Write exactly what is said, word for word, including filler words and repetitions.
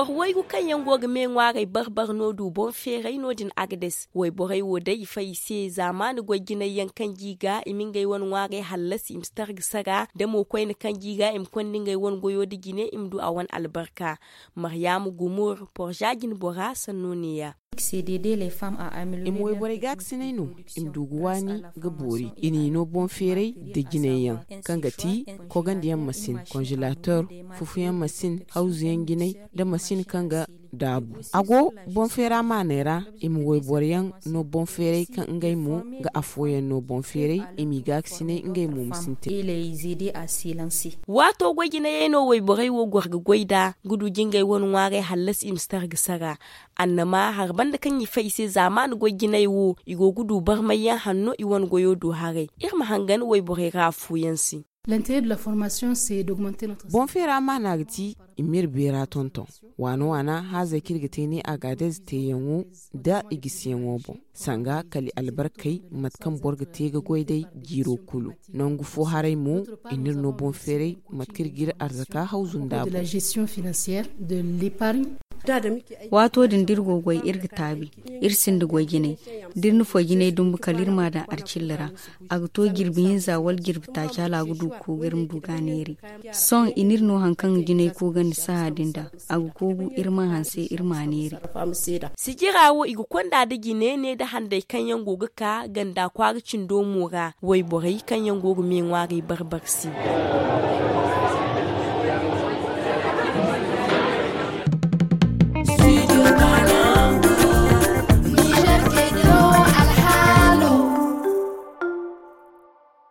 Boro waygu kaŋ yaŋ go ga me ŋwaaray bar-bar no du boŋ feeray no- din agades wayborey wo day i fay i se zaamaani goy jinay yaŋ kaŋ g'i ga i ma ngey wane ŋwaaray hallasi i ma si targa sara da mo koyne kaŋ g'i ga i ma konda ngey wane goyo nda jine i ma du a wane albarka. Maryama gumur porza jinbora sanno ne- ya. I ma wayborey gaakasinay no i ma du ga waani ga boori i n'i no boŋ feeray nda jinay yaŋ kaŋ ga ti kogandiyaŋ masin konzelator fufuyaŋ masin hawzu yaŋ jinay nda masin kaŋ ga daabu. A go boŋ feera maaney ra i ma wayboro yaŋ no boŋ feeray kaŋ ngey mo ga afooyaŋ no boŋ feeray i m'i gaakasinay ngey mo ma sintin. Waato goy jinayey no wayborey wo goro ga goy nd'a ga du jingey wane ŋwaaray hallasi i ma si targa sara. Annama hari banda kaŋ i fay i se zaamaani goy jinay wo i go ga du barmayyaŋ hanno i wane goyo do haray. Iri ma hangan wayborey ra afooyaŋ se. Boŋ feera maana ga ti i m'iri beera tonton. Waana waana haazey kaŋ iri ga te ne agaadez teeyaŋo nda i gisiyaŋo boŋ sanga kala i albarkey mate kaŋ boro ga te ga goy day jiiro kulu. Nangu fo haray mo i n'iri no boŋ feeray mate kaŋ iri g'iri arzaka hawzu nda a boŋ. Waato din da iri go ga goy iri ga taabi. Iri sinda goy jinay da iri na foy jinay dumbu kala iri m'a daŋ arcilla ra. A ga to jirbi hinza wala jirbi taaci hala a ga du ga koogu iri ma du ga a neeri. Sohõ i n'iri no hari kaŋ ga jinay koogandi saha din da a ga koogu iri mana hanse iri m'a neeri. Sijira wo i ga konda nda jine ne nda handay kaŋ yaŋ go ga ka ganda kwaara cindo mo ra wayborey kaŋ yaŋ go ga me ŋwaaray barbar se.